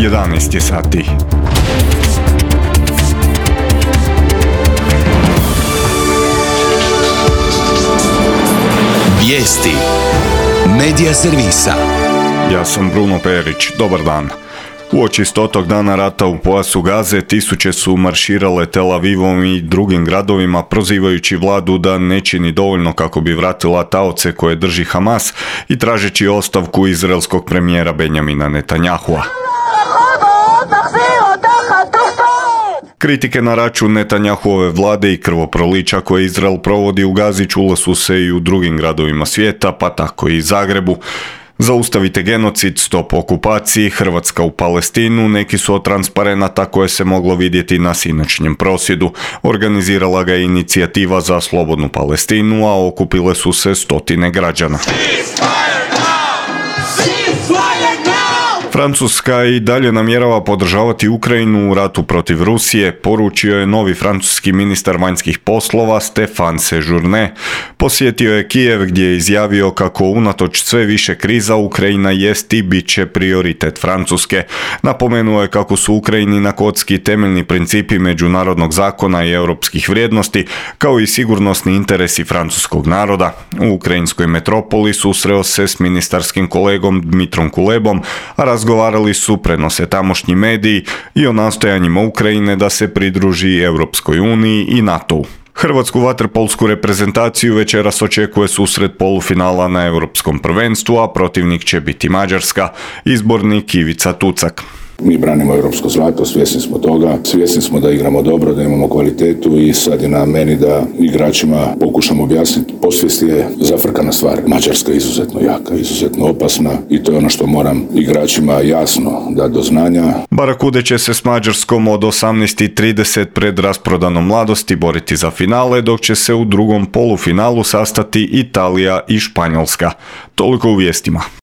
11 je sati. Vijesti Medija servisa. Ja sam Bruno Perić, dobar dan. Uoči 100. dana rata u pojasu Gaze, tisuće su marširale Tel Avivom i drugim gradovima prozivajući vladu da ne čini dovoljno kako bi vratila taoce koje drži Hamas i tražeći ostavku izraelskog premijera Benjamina Netanyahua. Kritike na račun Netanyahuove vlade i krvoprolića koje Izrael provodi u Gazi čule su se i u drugim gradovima svijeta, pa tako i Zagrebu. Zaustavite genocid, stop okupaciji, Hrvatska u Palestinu, neki su od transparenata koje se moglo vidjeti na sinoćnjem prosvjedu. Organizirala ga je inicijativa za slobodnu Palestinu, a okupile su se stotine građana. Francuska i dalje namjerava podržavati Ukrajinu u ratu protiv Rusije, poručio je novi francuski ministar vanjskih poslova Stéphane Séjourné. Posjetio je Kijev gdje je izjavio kako unatoč sve više kriza Ukrajina jest i bit će prioritet Francuske. Napomenuo je kako su Ukrajini na kocki temeljni principi međunarodnog zakona i europskih vrijednosti, kao i sigurnosni interesi francuskog naroda. U ukrajinskoj metropoli susreo se s ministarskim kolegom Dmitrom Kulebom, a razgovarali su, prenose tamošnji mediji, i o nastojanjima Ukrajine da se pridruži Europskoj uniji i NATO-u. Hrvatsku vaterpolsku reprezentaciju večeras očekuje susret polufinala na Europskom prvenstvu, a protivnik će biti Mađarska, izbornik Ivica Tucak. Mi branimo europsko zlato, svjesni smo toga, svjesni smo da igramo dobro, da imamo kvalitetu i sad je na meni da igračima pokušamo objasniti. Posvijest je zafrkana stvar. Mađarska je izuzetno jaka, izuzetno opasna i to je ono što moram igračima jasno dati do znanja. Barakude će se s Mađarskom od 18:30 pred rasprodanom Mladosti boriti za finale, dok će se u drugom polufinalu sastati Italija i Španjolska. Toliko u vijestima.